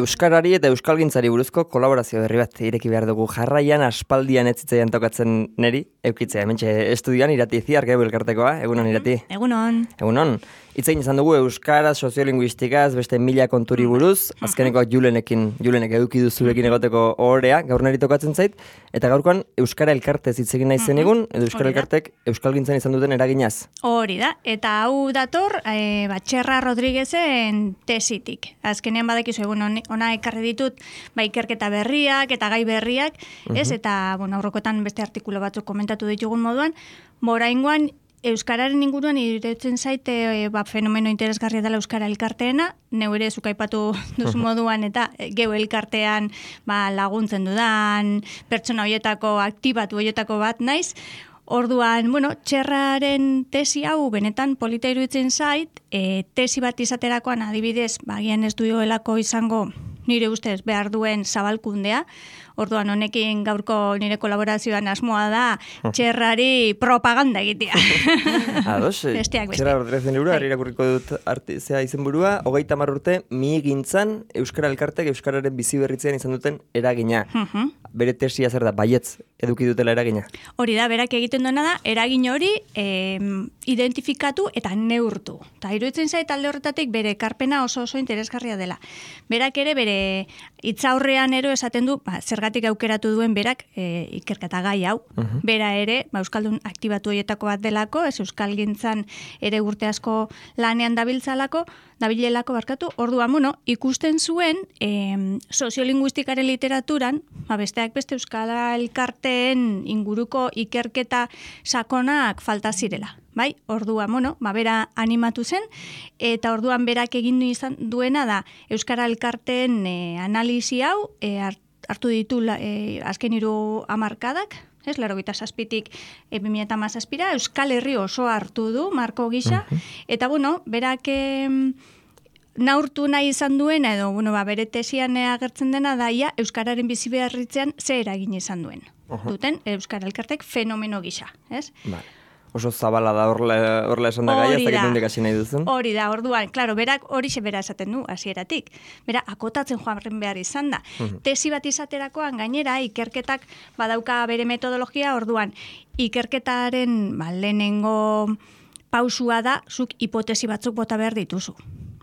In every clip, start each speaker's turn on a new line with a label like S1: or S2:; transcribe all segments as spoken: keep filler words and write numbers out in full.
S1: Euskarari eta euskalgintzari buruzko kolaborazio berri bat ireki behar dugu. Jarraian aspaldian ez zitzaidan tokatzen neri, eukitzea, hementxe estudioan Irati Ziargeu elkartekoa, egunon Irati.
S2: Egunon.
S1: Egunon. Itzein izan dugu euskaraz, soziolinguistikaz, beste mila konturi buruz, azkenekoak Julenekin, Julenek eduki duzurekin egoteko ohorea, gaur neri tokatzen zait, eta gaurkoan euskara elkartez hitz egin nahi zen egun, edo euskara elkartek euskalgintzan izan duten eraginaz.
S2: Hori da, eta hau dator, e, Batxerra Rodriguezen tesitik. Azkenean badakizu egun ona ekarri ditut, ba, ikerketa berriak eta gai berriak, ez? Eta, bueno, aurrekotan beste artikulu batzuk komentatu ditugun moduan, moraingoan euskararen inguruan iruditzen zaite e, ba, fenomeno interesgarria dela euskara elkarteena, neu ere zuk aipatu duzu moduan eta geu elkartean ba, laguntzen dudan, pertsona horietako aktibatu horietako bat naiz. Orduan, bueno, Txerraren tesi hau benetan polita iruditzen zait, e, tesi bat izaterakoan adibidez, bagian ez duelako izango nire ustez behar duen zabalkundea. Orduan, honekin gaurko nire kolaborazioan asmoa da Txerrari propaganda egitea.
S1: Ados, Txerra Rodriguezen liburu, harri irakurriko dut artizea izenburua, hogeita hamar urte mihigintzan Euskara Elkartek Euskararen bizi berritzean izan duten eragina. Bere tesia zer da, baietz eduki dutela eragina? Hori
S2: da, berak egiten duena da, eragin hori eh, identifikatu eta neurtu. Ta iruditzen zait alde horretatik bere ekarpena oso oso interesgarria dela. Berak ere bere hitzaurrean ero esaten du, ba, zergatik aukeratu duen berak e, ikerketa gai hau. Uh-huh. Bera ere, ba, euskaldun aktibatu horietako bat delako, ez euskalgintzan ere urte asko lanean dabiltzalako, dabilelako barkatu, orduan, bueno, ikusten zuen e, soziolinguistikaren literaturan, ba, besteak beste euskara elkarteen inguruko ikerketa sakonak falta zirela. Bai, orduan, bueno, ba, bera animatu zen, eta orduan berak egin izan duena da euskara elkarteen e, analisi hau e, hartu ditu e, azken hiru hamarkadak, ez, laurogeita zazpitik e, bi mila hamazazpira, Euskal Herri oso hartu du, marko gisa, uh-huh. Eta bueno, berak e, naurtu nahi izan duena, edo bueno, ba, bere tesian agertzen dena da, ia, euskararen bizi beharritzean ze eragin izan duen. Uh-huh. Duten, euskara elkartek fenomeno gisa, ez? Vale.
S1: Oso zabala da horrela esan da gai, ez dakit nondik hasi nahi duzun.
S2: Hori da, orduan, klaro, berak hori bera esaten du, hasieratik. Bera, akotatzen joan behar izan da. Uh-huh. Tesi bat izaterakoan gainera, ikerketak badauka bere metodologia, orduan, ikerketaren ba, lehenengo pausua da, zuk hipotesi batzuk bota behar dituzu.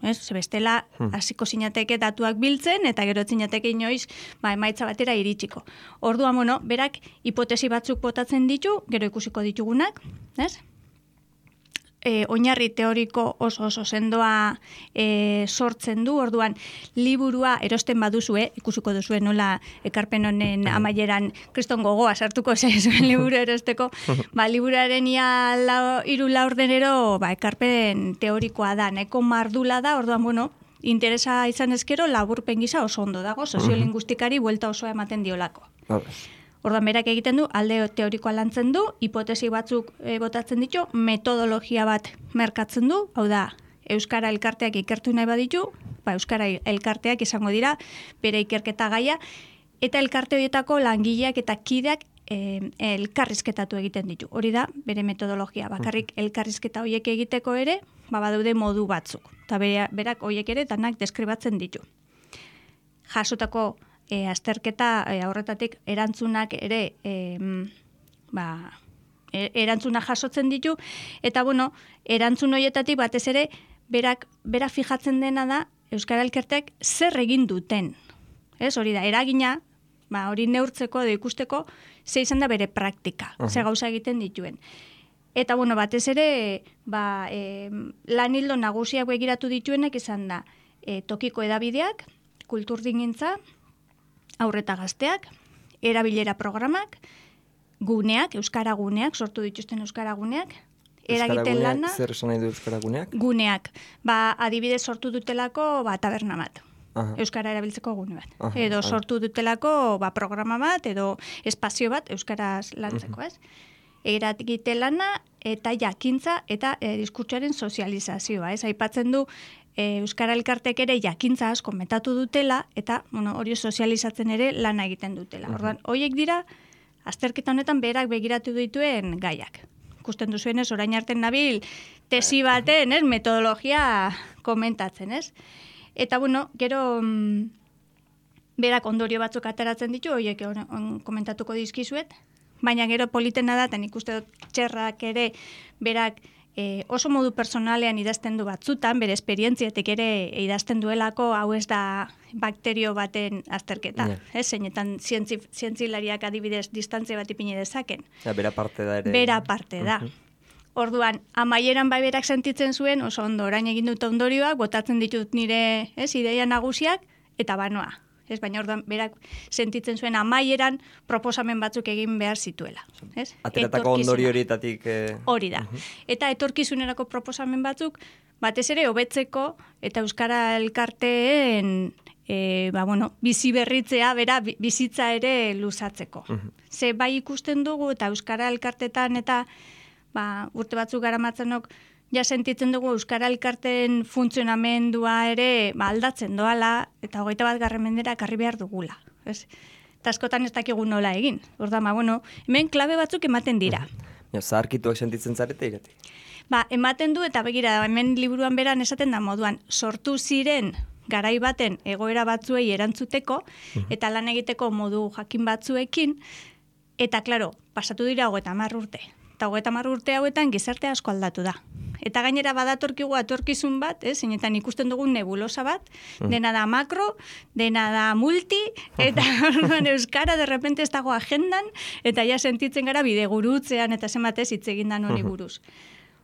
S2: Ez, bestela, hasiko zinateke datuak biltzen, eta gero zinateke inoiz, ba, emaitza batera iritsiko. Orduan, bueno, berak hipotesi batzuk botatzen ditu, gero ikusiko ditugunak, ez? E, oinarri teoriko oso oso sendoa e, sortzen du, orduan liburua erosten baduzue, ikusiko duzue nola ekarpen honen amaieran kriston gogoa sartuko zaizuen liburu erosteko, ba, liburuaren ia lau, iru laurdenero ba, ekarpen teorikoa da, nahiko mardula da, orduan, bueno, interesa izan ezkero laburpen gisa oso ondo dago, soziolinguistikari buelta osoa ematen diolako. Orduan berak egiten du, alde teorikoa lantzen du, hipotesi batzuk e, botatzen ditu, metodologia bat merkatzen du, hau da, euskara elkarteak ikertu nahi baditu, ba, euskara elkarteak izango dira, bere ikerketa gaia, eta elkarte horietako langileak eta kideak e, elkarrizketatu egiten ditu. Hori da, bere metodologia, bakarrik elkarrizketa horiek egiteko ere, ba, badaude modu batzuk, eta berak horiek ere danak deskribatzen ditu. Jasotako E, azterketa e, aurretatik erantzunak ere e, ba, e, erantzunak jasotzen ditu, eta bueno, erantzun horietatik batez ere berak, bera fijatzen dena da euskara elkarteak zer egin duten. Ez, hori da, eragina, ba, hori neurtzeko edo ikusteko ze izan da bere praktika, uh-huh. Ze gauza egiten dituen. Eta bueno, batez ere ba, e, lan hildo nagusiak begiratu dituenak izan da e, tokiko edabideak, kulturdingintza, aurreta gazteak, erabilera programak, guneak, euskara guneak, sortu dituzten euskara guneak, eragiten lana.
S1: Zer esan nahi du euskara guneak?
S2: Guneak. Ba, adibidez sortu dutelako ba, taberna bat. Aha. Euskara erabiltzeko gune bat. Aha, edo aha. Sortu dutelako ba, programa bat, edo espazio bat, euskaraz lantzeko, uh-huh. Ez? Eragiten lana eta jakintza eta e, diskurtsoaren sozializazioa. Ez? Aipatzen du, E, euskara elkartek ere jakintza asko metatu dutela, eta bueno, hori sozializatzen ere lana egiten dutela. Uh-huh. Orduan, horiek dira, azterketa honetan berak begiratu dituen gaiak. Ikusten duzuenez, orain arte nabil, tesi baten, ez, metodologia komentatzen, ez? Eta, bueno, gero, berak ondorio batzuk ateratzen ditu, horiek on, on, komentatuko dizkizuet, baina gero politena da, eta nik uste dut txerrak ere berak e, oso modu personalean idazten du batzutan, bere esperientziatik ere idazten duelako, hau ez da bakterio baten azterketa, yeah. ez? Zeinetan zientzi, zientzilariak adibidez distantzia bat ipini dezaken.
S1: Ja, bera parte da ere.
S2: Bera parte da. Uh-huh. Orduan, amaieran bai berak sentitzen zuen, oso ondo, orain egin dut ondorioak, botatzen ditut nire ez, ideia nagusiak, eta banoa. Ez, baina orduan berak sentitzen zuen amaieran proposamen batzuk egin behar zituela. Ez?
S1: Ateratako ondorio horietatik... Eh...
S2: Hori da. Uh-huh. Eta etorkizunerako proposamen batzuk, batez ere hobetzeko eta Euskara Elkarteen e, ba, bueno, bizi berritzea, bera, bizitza ere luzatzeko. Uh-huh. Ze bai ikusten dugu eta Euskara Elkartetan eta ba, urte batzuk garamatzenok ja sentitzen dugu Euskara Elkarteen funtzionamendua ere ba, aldatzen doala eta hogeita bat garren mendera karri behar dugula. Ez? Eta askotan ez dakigu nola egin. Orduan, ba, bueno, hemen klabe batzuk ematen dira.
S1: Ja, zaharkituak sentitzen zarete irati?
S2: Ba, ematen du eta begira, hemen liburuan beran esaten da moduan, sortu ziren garai baten egoera batzuei erantzuteko eta lan egiteko modu jakin batzuekin, eta, klaro, pasatu dira hogeita hamar urte. Eta hogeita hamar urte hauetan gizarte asko aldatu da. Eta gainera badatorkigu atorkizun bat, eh, zeinetan ikusten dugun nebulosa bat, mm. dena da makro, dena da multi, eta euskara de repente ez dago agendan, eta ja sentitzen gara bidegurutzean eta zenbatez hitz egin da honi buruz.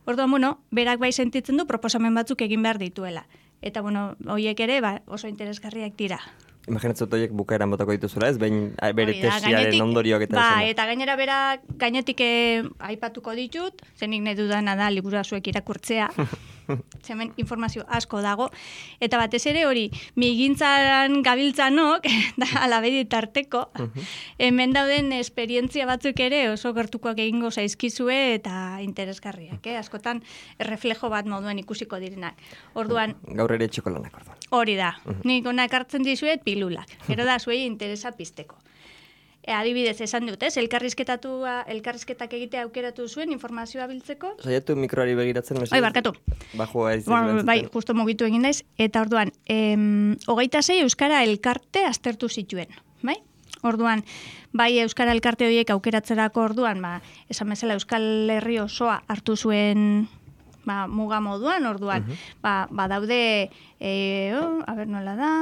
S2: Orduan, bueno, berak bai sentitzen du proposamen batzuk egin behar dituela. Eta, bueno, horiek ere ba, oso interesgarriak dira.
S1: Imaginatzen dut horiek bukaeran botako dituzula, ez? Behin bere tesiaren ondorioak eta
S2: ba, eta gainera bera gainetik eh, aipatuko ditut, zenik nahi dudana da liburua zuek irakurtzea, hemen informazio asko dago, eta batez ere hori, migintzan gabiltzanok, da alabedi tarteko, hemen dauden esperientzia batzuk ere oso gertukoak egingo zaizkizue eta interesgarriak, eh? Askotan erreflejo bat moduen ikusiko direnak. Orduan...
S1: Gaur ere txokolanak, orduan.
S2: Hori da, nik onak hartzen dizuet pilulak, gero da zuei interesa pizteko. E, adibidez, esan dut, ez? Elkarrizketatua, elkarrizketak egitea aukeratu zuen informazioa biltzeko.
S1: Saiatu mikroari begiratzen, mesedez?
S2: Oi, barkatu.
S1: Bajua ez.
S2: Ba, bai, justo mugitu egin daiz. Eta orduan, em, hogeita sei Euskara Elkarte aztertu zituen, bai? Orduan, bai Euskara Elkarte horiek aukeratzerako orduan, ba, esan bezala Euskal Herri osoa hartu zuen ba, muga moduan, orduan, uh-huh. ba, ba daude, e, oh, a ber nola da...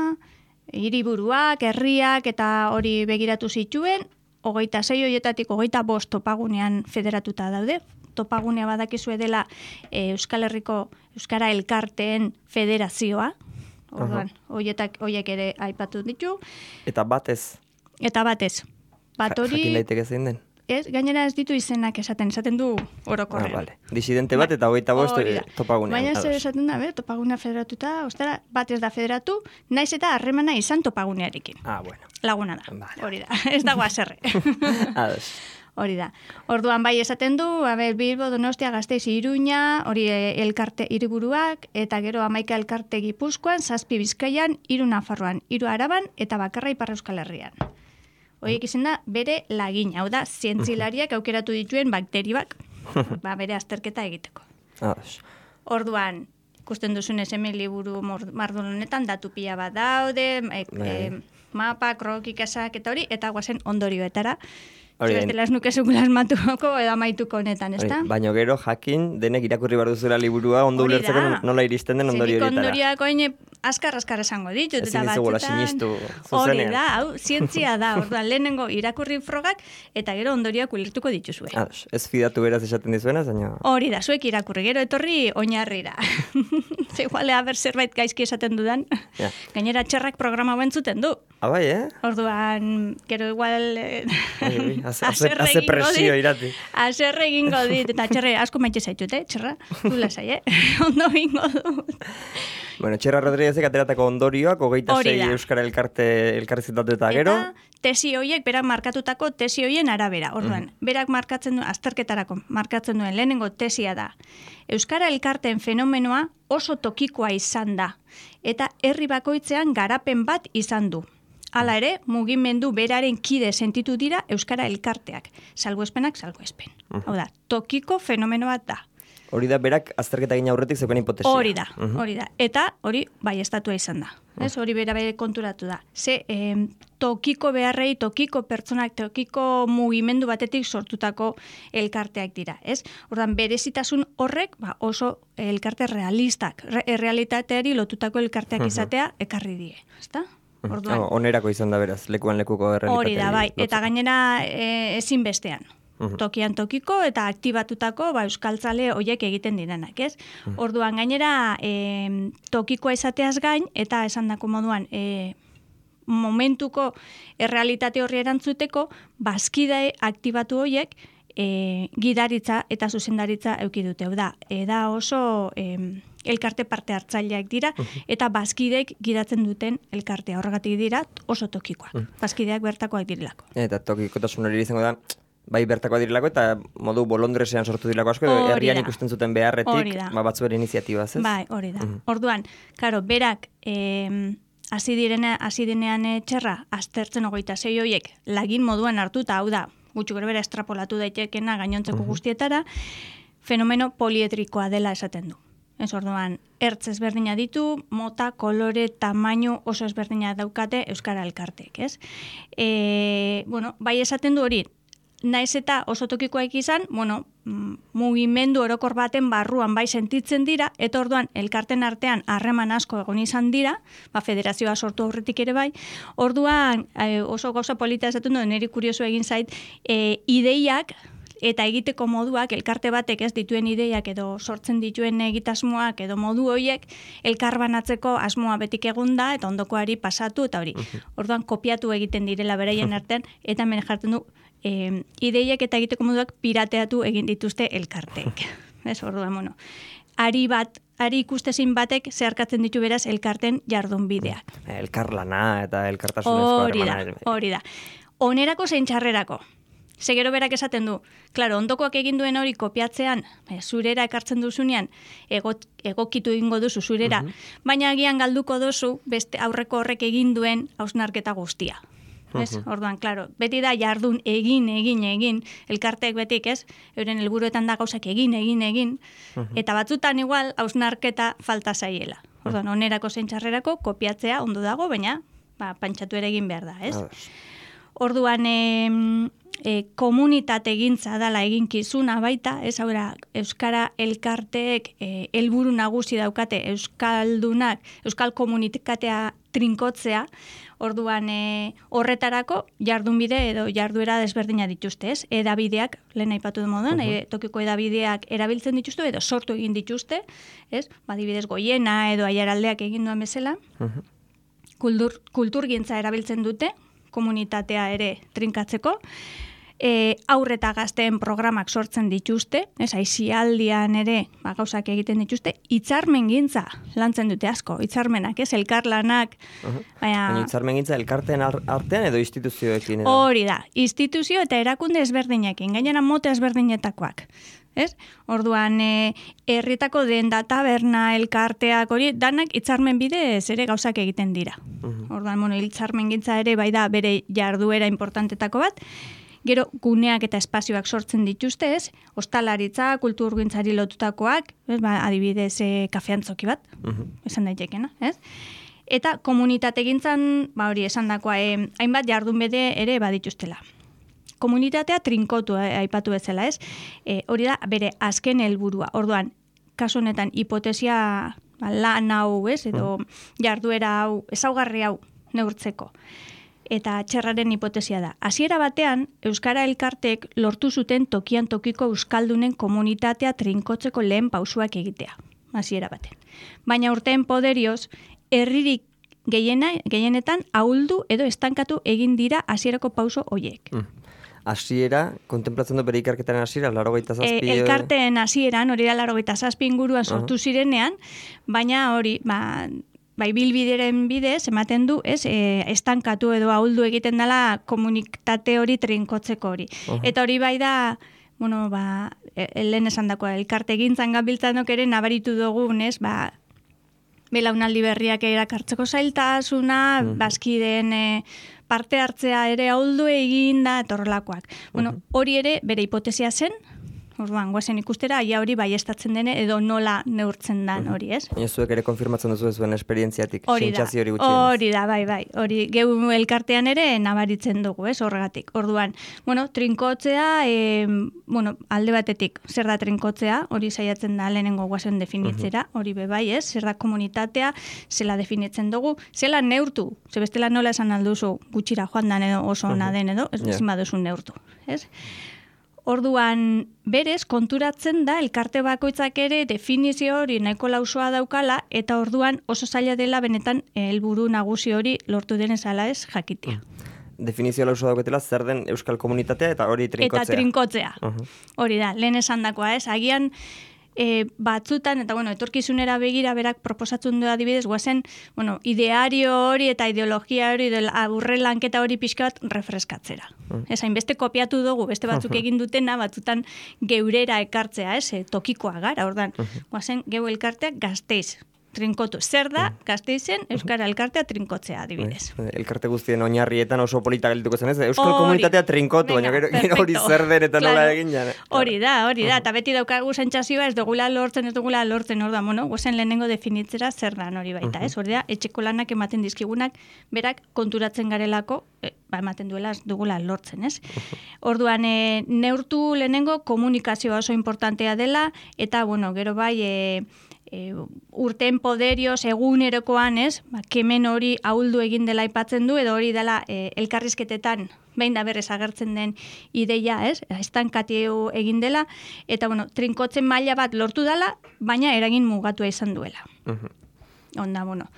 S2: hiriburuak, herriak eta hori begiratu zituen, hogeita sei horietatik hogeita bost topagunean federatuta daude. Topagunea badakizue dela e, Euskal Herriko Euskara Elkarteen federazioa. Orduan, horietak horiek ere aipatu ditu.
S1: Eta batez?
S2: Eta batez. Bat hori...
S1: Jakin daiteke zein den?
S2: Ez, gainera ez ditu izenak esaten, esaten du orokorrean.
S1: Ah, vale. Disidente bat eta hogeita bost topagunean.
S2: Baina zer esaten da, be, topagunea federatuta, ostara, bat ez da federatu, naiz eta harremana izan topagunearekin.
S1: Ah, bueno.
S2: Laguna da,
S1: vale.
S2: Hori da, ez dago azerre.
S1: Ados.
S2: Hori da. Orduan bai esaten du, a ber, Bilbo, Donostia, Gasteiz, Iruña, hori elkarte hiriburuak, eta gero hamaika elkarte Gipuzkoan, zazpi Bizkaian, hiru Nafarroan, hiru Araban, eta bakarra Ipar Euskal Herrian. Horiek izan da, bere lagin, hau da, zientzilariak aukeratu dituen bakterioak, ba, bere azterketa egiteko. Orduan, ikusten duzunez hemen liburu mardun honetan, datu pila bat daude, e, e, mapa, krokik esak eta hori, eta guazen ondorioetara. Zibestela ez nuke zukula asmatuko edo amaituko honetan, ez da?
S1: Baina gero jakin, denek irakurri behar duzula liburua, ondo ulertzeko nola iristen den ondorio horietara.
S2: Zenik ondorioak oin askar-askar esango ditut.
S1: Ezin dizugula sinistu zuzenean.
S2: Hori da, hau, zientzia da, orduan lehenengo irakurri frogak, eta gero ondorioak ulertuko dituzue.
S1: Ados, ez fidatu beraz esaten dizuena, zaino...
S2: Hori da, zuek irakurri, gero etorri oinarrira. Zegoale, haber zerbait gaizki esaten dudan.
S1: Ja.
S2: Gainera txerrak programa bentzuten du.
S1: Ah, bai, eh?
S2: Orduan, gero igual... Eh,
S1: Haze presio irati.
S2: Azerre egingo dit, eta txerre asko maite zaitut, eh? Txerra, du lasai, eh? Ondo egingo dut.
S1: Bueno, Txerra Rodríguezek ateratako ondorioak, hogeita sei Euskara Elkarte elkarrizketatu eta gero.
S2: Eta tesi horiek, berak markatutako tesi horien arabera. Orduan, mm. berak markatzen duen, azterketarako markatzen duen lehenengo tesia da. Euskara Elkarteen fenomenoa oso tokikoa izan da. Eta herri bakoitzean garapen bat izan du. Hala ere, mugimendu beraren kide sentitu dira Euskara Elkarteak. Salbuespenak, salbuespen. Uh-huh. Hau da, tokiko fenomeno bat da.
S1: Hori da, berak azterketa egin aurretik zeuken hipotesia.
S2: Hori da, hori da. Eta hori bai estatua izan da. ez? Hori bera bere konturatu da. Ze, eh, tokiko beharrei, tokiko pertsonak, tokiko mugimendu batetik sortutako elkarteak dira, ez? Ordan berezitasun horrek, ba, oso elkarte realistak, re, realitateari lotutako elkarteak izatea ekarri die, ezta?
S1: Orduan, onerako izan da beraz, lekuan lekuko realitateari.
S2: Hori da, bai, eta gainera e, ezin bestean. Tokian tokiko eta aktibatutako ba, euskaltzale hoiek egiten direnak, ez? Orduan gainera e, tokikoa izateaz gain eta esandako moduan e, momentuko errealitate horri erantzuteko bazkide aktibatu hoiek e, gidaritza eta zuzendaritza eduki dute. Da, eda oso e, elkarte parte hartzaileak dira eta bazkideek gidatzen duten elkartea. Horregatik dira oso tokikoak. Bazkideak bertakoak direlako.
S1: Eta tokikotasun hori izango da bai bertakoa direlako eta modu bolondresean sortu direlako asko, herrian ikusten zuten beharretik, ba, batzu bere iniziatibaz, ez?
S2: Bai, hori da. Mm. Orduan, karo, berak eh, hasi direna, hasi denean txerra, aztertzen hogeita sei hoiek, lagin moduan hartuta, hau da, gutxi gora bera estrapolatu daitekena gainontzeko guztietara, fenomeno polietrikoa dela esaten du. Ez orduan, ertz ezberdina ditu, mota, kolore, tamaino oso ezberdina daukate euskara elkarteek, ez? E, bueno, bai esaten du hori, naiz eta oso tokikoak izan, bueno, mugimendu orokor baten barruan bai sentitzen dira, eta orduan elkarten artean harreman asko egon izan dira, ba, federazioa sortu aurretik ere bai, orduan e, oso gauza polita esaten du, niri kurioso egin zait, e, ideiak eta egiteko moduak, elkarte batek ez dituen ideiak edo sortzen dituen egitasmoak edo modu horiek elkarbanatzeko asmoa betik egunda eta ondokoari pasatu eta hori. Orduan kopiatu egiten direla beraien artean eta hemen jartzen du e, ideiak eta egiteko moduak pirateatu egin dituzte elkarteek. Ez orduan, bueno. Ari bat, ari ikustezin batek zeharkatzen ditu beraz elkarten jardunbideak.
S1: Elkarlana eta elkartasunezko harremana.
S2: Hori da, hori da. Onerako zein txarrerako. Segero berak esaten du, klaro, ondokoak egin duen hori kopiatzean, e, zurera ekartzen duzunean, egot, egokitu egingo duzu zurera, uh-huh. baina agian galduko duzu beste aurreko horrek egin duen hausnarketa guztia. Ez? Uh-huh. Orduan, klaro, beti da jardun egin, egin, egin, elkarteek betik, ez? Euren helburuetan da gauzak egin, egin, egin, uh-huh. eta batzutan igual hausnarketa falta zaiela. Orduan, onerako zein txarrerako kopiatzea ondo dago, baina ba, pantxatu ere egin behar da, ez? Uh-huh. Orduan, e, E, komunitate egintza dala eginkizuna baita, ez haura, euskara elkarteek e, helburu nagusi daukate euskaldunak, euskal komunikatea trinkotzea, orduan e, horretarako jardunbide edo jarduera desberdina dituzte, ez? Edabideak, lehen aipatu du moduan, uh-huh. e, tokiko edabideak erabiltzen dituzte edo sortu egin dituzte, ez? Badibidez Goiena edo Aiaraldeak egin duen bezala, uh-huh. kultur, kulturgintza erabiltzen dute, komunitatea ere trinkatzeko, E, aurreta gazteen programak sortzen dituzte, ez aisialdian ere ba, gauzak egiten dituzte, hitzarmen gintza lantzen dute asko, hitzarmenak, ez, elkarlanak. Uh-huh. Baina
S1: hitzarmen gintza elkarteen artean edo instituzioekin? Edo?
S2: Hori da, instituzio eta erakunde ezberdinekin, gainera mote ezberdinetakoak. Ez? Orduan, e, herritako denda taberna, elkarteak, hori, danak hitzarmen bidez ere gauzak egiten dira. Uh-huh. Orduan, bueno, hitzarmen gintza ere bai da bere jarduera importantetako bat, gero guneak eta espazioak sortzen dituzte, ez? Ostalaritza, kulturgintzari lotutakoak, ez? Ba, adibidez, e, kafeantzoki bat, uh-huh. esan daitekena, ez? Eta komunitate gintzan, ba hori, esan dakoa, e, hainbat jardunbide ere badituztela. Komunitatea trinkotu, eh, aipatu bezala, ez? E, hori da, bere azken helburua. Orduan, kasu honetan, hipotesia ba, lan hau, ez? Edo jarduera hau, ezaugarri hau neurtzeko. Eta txerraren hipotesia da. Hasiera batean, euskara elkartek lortu zuten tokian tokiko euskaldunen komunitatea trinkotzeko lehen pausuak egitea. Hasiera batean. Baina urteen poderioz, herririk gehiena, gehienetan ahuldu edo estankatu egin dira hasierako pauso hoiek. Mm.
S1: Hasiera, kontemplatzen du bere ikerketaren hasiera, laurogeita zazpi...
S2: E, elkarteen hasieran, hori da laurogeita zazpi inguruan sortu uh-huh. zirenean, baina hori, ba... Bai, bilbideren bidez, ematen du, ez, e, estankatu edo ahuldu egiten dela komunitate hori trinkotzeko hori. Uh-huh. Eta hori bai da, bueno, ba, e, lehen esan dakoa, elkarte gintzan gabiltzanok ere nabaritu dugun, ez, ba, belaunaldi berriak erakartzeko zailtasuna, uh-huh. bazkideen e, parte hartzea ere ahuldu egin da, etorrelakoak. Bueno, uh-huh. hori ere bere hipotesia zen, Orduan, guazen ikustera, ia hori baiestatzen dene edo nola neurtzen dan hori, ez?
S1: Baina zuek ere konfirmatzen duzu zuen esperientziatik,
S2: Hori da,
S1: sentsazio hori gutxienez.
S2: hori da, bai, bai. Hori geu elkartean ere nabaritzen dugu, ez, horregatik. Orduan, bueno, trinkotzea, e, bueno, alde batetik, zer da trinkotzea, hori saiatzen da lehenengo guazen definitzera, hori be bai, ez, zer da komunitatea, zela definitzen dugu, zela neurtu, ze bestela nola esan alduzu gutxira joan dan edo oso ona den edo, ez yeah. baduzu neurtu, ez? Orduan, berez, konturatzen da, elkarte bakoitzak ere definizio hori nahiko lausoa daukala, eta orduan oso zaila dela benetan helburu nagusi hori lortu denez ala ez jakitea.
S1: Definizio lausoa dauketela, zer den euskal komunitatea eta hori trinkotzea.
S2: Eta trinkotzea. Uh-huh. Hori da, lehen esandakoa ez, agian e, batzutan, eta bueno, etorkizunera begira berak proposatzen du adibidez, guazen, bueno, ideario hori eta ideologia hori, aburre lanketa hori pixka bat refreskatzera. Uh-huh. Ez hainbeste kopiatu dugu, beste batzuk uh-huh. egin dutena, batzutan geurera ekartzea, ez, e, tokikoa gara, ordan, uh-huh. guazen, geu elkarteak Gasteiz. Trinkotu. Zer da, Gasteizen, Euskara elkartea trinkotzea, adibidez.
S1: Elkarte guztien oinarrietan oso polita gelituko zen, ez? Euskal komunitatea trinkotu, baina gero hori zer den eta nola egin jane.
S2: Hori da, hori da, eta beti daukagu sentsazioa ez dugula lortzen, ez dugula lortzen, hor da, bueno, gozen lehenengo definitzera zer dan hori baita, ez? Hori da, etxeko lanak ematen dizkigunak, berak konturatzen garelako, e, ba, ematen duela ez dugula lortzen, ez? Orduan, e, neurtu lehenengo komunikazioa oso importantea dela, eta, bueno, gero bai, e, E, urten poderioz egunerokoan, ez, ba, kemen hori ahuldu egin dela aipatzen du, edo hori dela e, elkarrizketetan behin da berrez agertzen den ideia, ez, estankatio egin dela, eta, bueno, trinkotzen maila bat lortu dela, baina eragin mugatua izan duela. Uh-huh. Onda, bueno.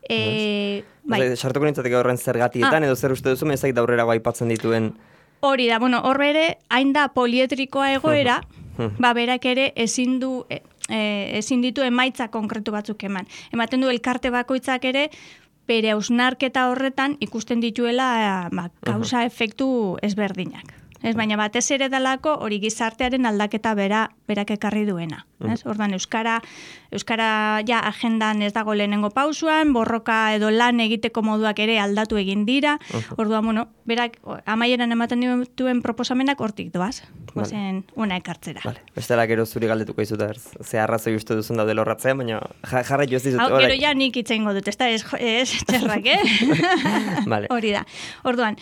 S2: E,
S1: bai. Sartuko nintzatik horren zergatietan, ah. edo zer uste duzu, mezak daurrerago aipatzen dituen...
S2: Hori da, bueno, hor bere, hain da polietrikoa egoera, uh-huh. ba, berak ere ezin du... E, E, ezin ditu emaitza konkretu batzuk eman. Ematen du elkarte bakoitzak ere bere hausnarketa horretan ikusten dituela ba, kausa efektu ezberdinak. Ez, baina batez ere dalako hori gizartearen aldaketa bera berak ekarri duena. Ez? Ordan euskara euskara ja agendan ez dago lehenengo pausuan, borroka edo lan egiteko moduak ere aldatu egin dira. Orduan, bueno, berak amaieran ematen dituen proposamenak hortik doaz. Gozen una ekartzera.
S1: Vale. Bestela gero zuri galdetuko izuta, ze arrazoi uste duzun daude lorratzean, baina jarra jo ez dizut.
S2: Hau, gero ja nik itzengo dut, ez da ez, ez txerrak, eh?
S1: Vale.
S2: Hori da. Orduan,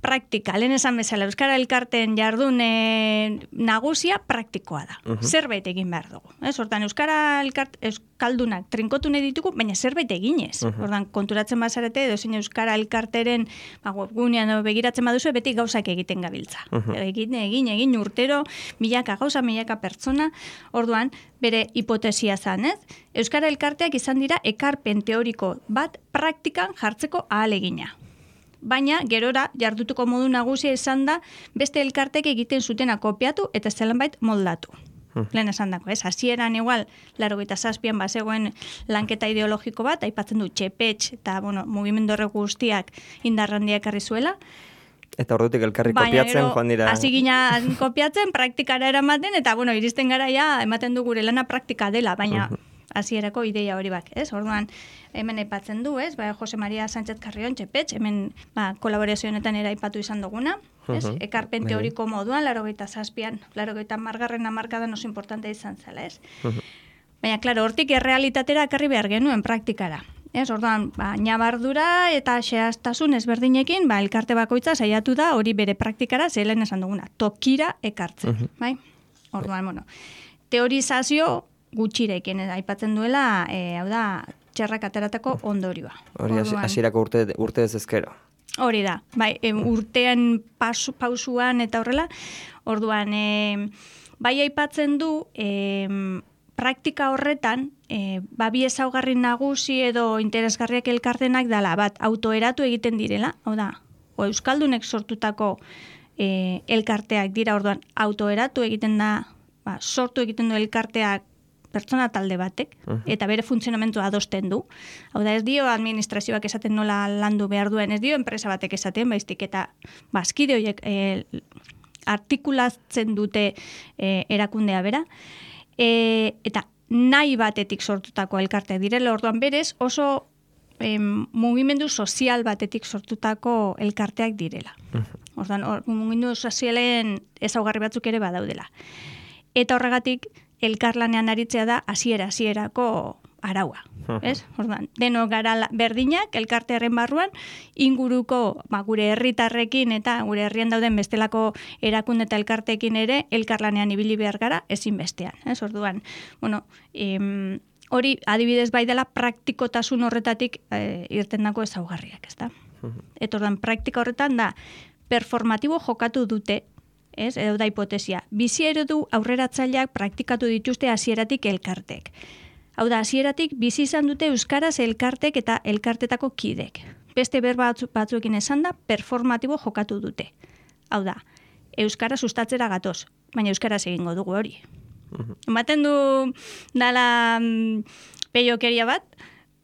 S2: praktika, lehen esan bezala, Euskara elkarteen jardun e, nagusia praktikoa da. Uh-huh. Zerbait egin behar dugu. Ez? Hortan, Euskara elkart, Euskaldunak trinkotu nahi ditugu, baina zerbait eginez. Uh-huh. Hortan, konturatzen bazarete, edo zein Euskara elkarteren ba, webgunean begiratzen baduzu, beti gauzak egiten gabiltza. Uh-huh. Egin, egin, egin urtero, milaka gauza, milaka pertsona. Orduan, bere hipotesia zan, ez? Euskara elkarteak izan dira ekarpen teoriko bat praktikan jartzeko ahalegina. Baina, gerora, jardutuko modu nagusia izan da, beste elkartek egiten zutena kopiatu eta zelanbait moldatu. Hmm. Lehen esan dako, ez? Hasieran igual, laurogeita zazpian bazegoen lanketa ideologiko bat, aipatzen du txepetx eta, bueno, mugimendu horrek guztiak indarrandiak ekarri zuela.
S1: Eta ordutik elkarri kopiatzen, joan dira...
S2: Hasi gina kopiatzen, praktikara eramaten, eta, bueno, iristen gara ja, ematen du gure lana praktika dela, baina... Uh-huh. Hasierako ideia hori bak, ez? Orduan, hemen aipatzen du, ez? Ba, Jose Maria Sánchez Carrion, txepetx, hemen ba, kolaborazio honetan era aipatu izan duguna, ez? Uh-huh. Ekarpen teoriko moduan, laurogeita zazpian, laurogeita margarren hamarkadan oso importante izan zela, ez? Uh-huh. Baina, klaro, hortik errealitatera ekarri behar genuen praktikara. Ez, orduan, ba, nabardura eta xehaztasun ezberdinekin, ba, elkarte bakoitza saiatu da hori bere praktikara, zelen esan duguna, tokira ekartzen, uh-huh. bai? Orduan, bueno, teorizazio gutxirekin aipatzen duela, e, hau da, txerrak ateratako ondorioa.
S1: Hori hasierako urte, urte ez ezkero.
S2: Hori da, bai, e, urtean pasu, pausuan eta horrela, orduan, e, bai aipatzen du, e, praktika horretan, e, ba, bi ezaugarri nagusi edo interesgarriak elkartenak dela, bat, autoeratu egiten direla, hau da, o euskaldunek sortutako e, elkarteak dira, orduan, autoeratu egiten da, ba, sortu egiten du elkarteak pertsona talde batek, uh-huh. eta bere funtzionamentua adosten du. Hau da, ez dio administrazioak esaten nola landu behar duen, ez dio enpresa batek esaten, baiztik, eta bazkide horiek e, artikulatzen dute e, erakundea bera, e, eta nahi batetik sortutako elkarte direla, orduan berez oso e, mugimendu sozial batetik sortutako elkarteak direla. Uh-huh. Orduan, or, mugimendu sozialen ezaugarri batzuk ere badaudela. eta horregatik elkarlanean aritzea da hasiera hasierako araua, ez? Orduan, deno gara berdinak elkartearen barruan inguruko, ba, gure herritarrekin eta gure herrian dauden bestelako erakunde eta elkarteekin ere elkarlanean ibili behar gara ezinbestean, ez? Orduan, bueno, em, hori adibidez bai dela praktikotasun horretatik e, irtendako ezaugarriak, ezta? Eta orduan, praktika horretan da performatibo jokatu dute, ez, edo da hipotesia. Bizi eredu aurreratzaileak praktikatu dituzte hasieratik elkartek. Hau da, hasieratik bizi izan dute euskaraz elkartek eta elkartetako kidek. Beste berba batzu, batzuekin esan da, performatibo jokatu dute. Hau da, euskara sustatzera gatoz, baina euskaraz egingo dugu hori. Ematen du dala mm, peiokeria bat,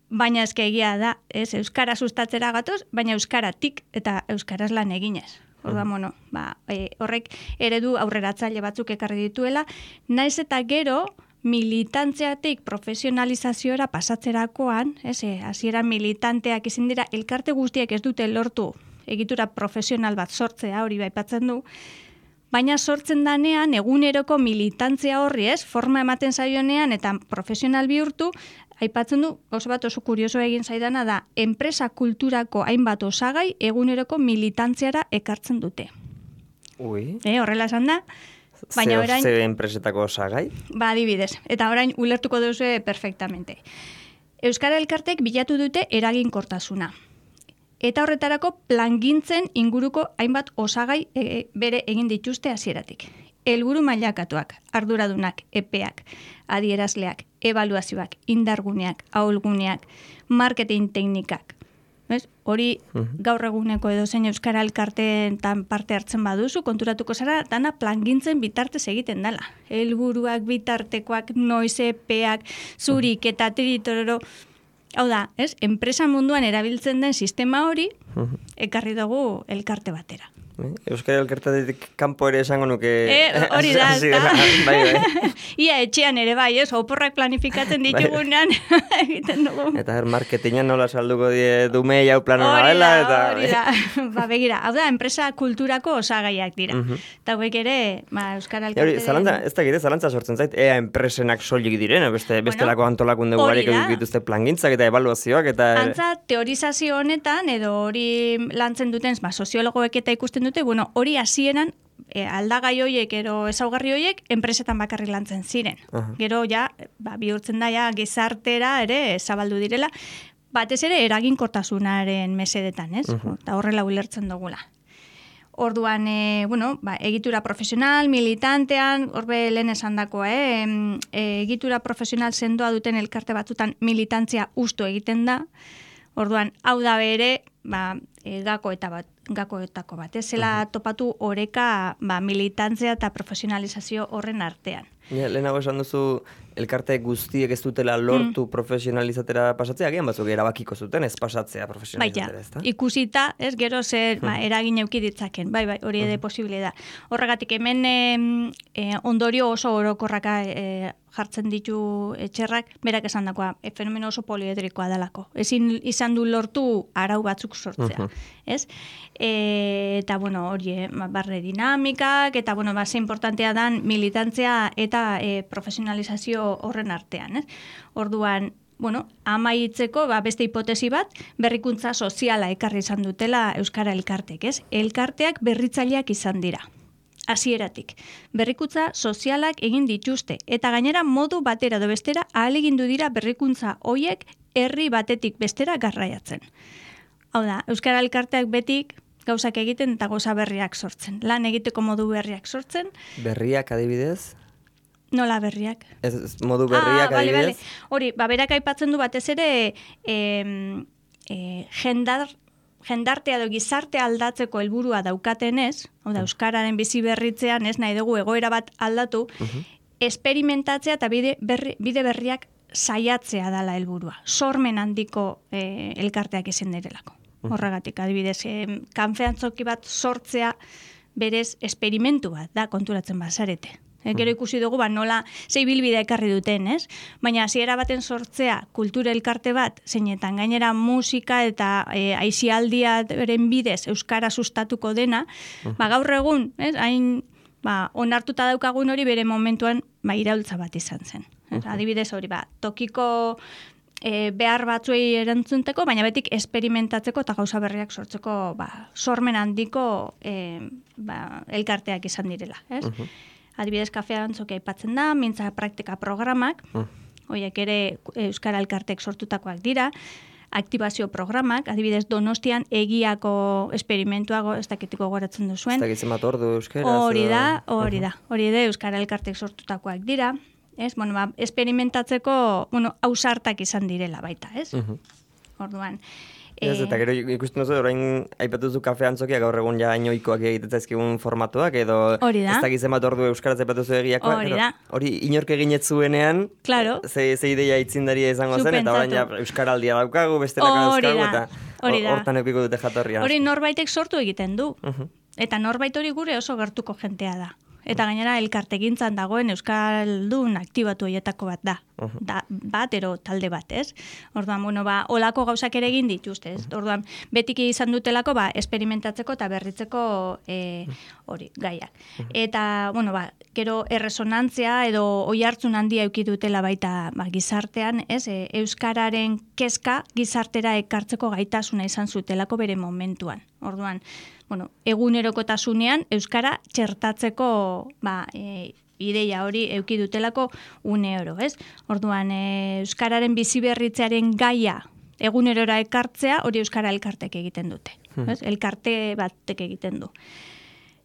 S2: baina eske egia da, ez, euskara sustatzera gatoz, baina euskaratik eta euskaraz lan eginez. Orduan, bueno, ba, e, horrek eredu aurreratzaile batzuk ekarri dituela, naiz eta gero militantziatik profesionalizazioera pasatzerakoan, ez, hasiera militanteak izin dira, elkarte guztiek ez dute lortu egitura profesional bat sortzea, hori baipatzen du, baina sortzen danean eguneroko militantzia horri, ez, forma ematen zaionean eta profesional bihurtu, aipatzen du, oso bat oso kurioso egin zaidana da, enpresa kulturako hainbat osagai eguneroko militantziara ekartzen dute.
S1: Ui.
S2: E, horrela esan da, baina
S1: Ze,
S2: orain...
S1: ze enpresetako osagai?
S2: Ba, adibidez, eta orain ulertuko duzu perfectamente. Euskara elkartek bilatu dute eraginkortasuna. Eta horretarako plangintzen inguruko hainbat osagai e, bere egin dituzte hasieratik. Helburu mailakatuak, arduradunak, epeak, adierazleak, ebaluazioak, indarguneak, ahulguneak, marketing teknikak. Ez? Hori gaur eguneko edo zein euskara elkarteetan parte hartzen baduzu, konturatuko zara, dana plangintzen bitartez egiten dela. Helburuak, bitartekoak, noiz epeak, zurik eta tiritororo. Hau da, ez? Enpresa munduan erabiltzen den sistema hori, ekarri dugu elkarte batera.
S1: Euskara elkartetik kanpo ere esango nuke...
S2: E, hori da,
S1: ez da. Bai, bai.
S2: Ia etxean ere bai, ez? Oporrak planifikatzen ditugunean egiten dugu.
S1: Eta her marketingan nola salduko die dumei hau plano nabela.
S2: Hori da, ba, begira. Hau da, enpresa kulturako osagaiak dira. Eta hauek ere, ba, Euskara elkartean...
S1: Hori, zalantza, ez da gire, zalantza sortzen zait, ea enpresenak soilik diren, beste, bestelako bueno, antolakunde gugarik dituzte plangintzak eta evaluazioak eta...
S2: Antza, teorizazio honetan, edo hori lantzen duten, ba, soziologoek eta ikusten dute, bueno, hori hasieran e, aldagai hoiek ero ezaugarri hoiek enpresetan bakarrik lantzen ziren. Uh-huh. Gero ja, ba, bihurtzen da ja gizartera ere zabaldu direla, batez ere eraginkortasunaren mesedetan, ez? Uh-huh. Eta horrela ulertzen dugula. Orduan, e, bueno, ba, egitura profesional, militantean, horbe lehen esandakoa, eh? E, egitura profesional sendoa duten elkarte batzutan militantzia ustu egiten da. Orduan, hau da bere, ba, e, gako eta bat, gakoetako bat. Ez zela topatu oreka ba, militantzia eta profesionalizazio horren artean.
S1: Ja, lehenago esan duzu, elkarte guztiek ez dutela lortu mm. profesionalizatera pasatzea, gian batzuk erabakiko zuten ez pasatzea profesionalizatera, ez da?
S2: Ikusita, ez gero zer ba, eragin euki ditzaken, bai, bai, hori ere posible da. Horregatik hemen e, e, ondorio oso orokorraka e, jartzen ditu etxerrak, berak esan dakoa, e, fenomeno oso poliedrikoa dalako. Ezin izan du lortu arau batzuk sortzea, ez? E, eta, bueno, hori, e, barre dinamikak, eta, bueno, ba, ze importantea dan militantzia eta e, profesionalizazio horren artean, ez? Orduan, bueno, amaitzeko, ba, beste hipotesi bat, berrikuntza soziala ekarri izan dutela Euskara elkartek, ez? Elkarteak berritzaileak izan dira. Hasieratik. Berrikuntza sozialak egin dituzte, eta gainera modu batera edo bestera ahalegindu dira berrikuntza hoiek herri batetik bestera garraiatzen. Hau da, Euskara elkarteak betik gauzak egiten eta gauza berriak sortzen. Lan egiteko modu berriak sortzen.
S1: Berriak adibidez?
S2: Nola berriak?
S1: Ez, ez modu berriak
S2: ah,
S1: adibidez?
S2: Bale, bale. Hori, ba, berak aipatzen du batez ere e, e, jendar, jendartea edo gizartea aldatzeko helburua daukatenez, hau da, Euskararen bizi berritzean, ez nahi dugu egoera bat aldatu, uh-huh. esperimentatzea eta bide, berri, bide berriak saiatzea dala helburua. Sormen handiko e, elkarteak izan direlako. Horregatik, adibidez, e, kanfeantzoki bat sortzea berez esperimentu bat da konturatzen bazarete. E, gero ikusi dugu, ba, nola zei bilbide ekarri duten, ez? Baina hasiera baten sortzea kultura elkarte bat, zeinetan gainera musika eta e, aisialdiaren bidez Euskara sustatuko dena, ba, gaur egun, ez? Hain ba, onartuta daukagun hori bere momentuan ba, iraultza bat izan zen. Uh-huh. Adibidez hori, ba, tokiko e, behar batzuei erantzunteko, baina betik esperimentatzeko eta gauza berriak sortzeko ba, sormen handiko e, ba, elkarteak izan direla. Ez? Uh-huh. Adibidez, kafea antzokia aipatzen da, mintza praktika programak, uh-huh. Horiek ere Euskara Elkartek sortutakoak dira, aktibazio programak, adibidez Donostian egiako esperimentuago, ez dakitiko goratzen duzuen.
S1: Ez dakitzen bat ordu euskera.
S2: Hori da, hori da, hori da Euskara Elkartek sortutakoak dira, ez? Bueno, ba, esperimentatzeko, bueno, ausartak izan direla baita, ez? Uh-huh. Orduan.
S1: Ez, eta gero ikusten duzu, orain aipatuzu kafe antzokia gaur egun ja inoikoak egitetzazkigun formatuak, edo ez dakitzen bat ordu euskaraz aipatuzu egiakoak.
S2: Hori da.
S1: Hori inork eginetzuenean,
S2: claro.
S1: ze, ze ideia itzindaria izango zen, eta orain ja euskaraldia daukagu, bestelaka dauzkagu, eta hortan eukiko dute jatorria.
S2: Hori norbaitek sortu egiten du. Uh-huh. Eta norbait hori gure oso gertuko jentea da. Eta gainera elkartegintzan dagoen euskaldun aktibatu horietako bat da. Uh-huh. da. Bat, ero talde bat, ez? Orduan, bueno, ba, olako gauzak ere egin dituzte, ez? Uh-huh. Orduan, betiki izan dutelako, ba, esperimentatzeko eta berritzeko e, hori, gaiak. Uh-huh. Eta, bueno, ba, gero erresonantzia edo oihartzun handia eduki dutela baita ba, gizartean, ez? E, euskararen kezka gizartera ekartzeko gaitasuna izan zutelako bere momentuan. Orduan, bueno, egunerokotasunean euskara txertatzeko ba, e, ideia hori eduki dutelako une oro, ez? Orduan, e, euskararen biziberritzearen gaia egunerora ekartzea hori Euskara Elkartek egiten dute. Hmm. Ez? Elkarte batek egiten du.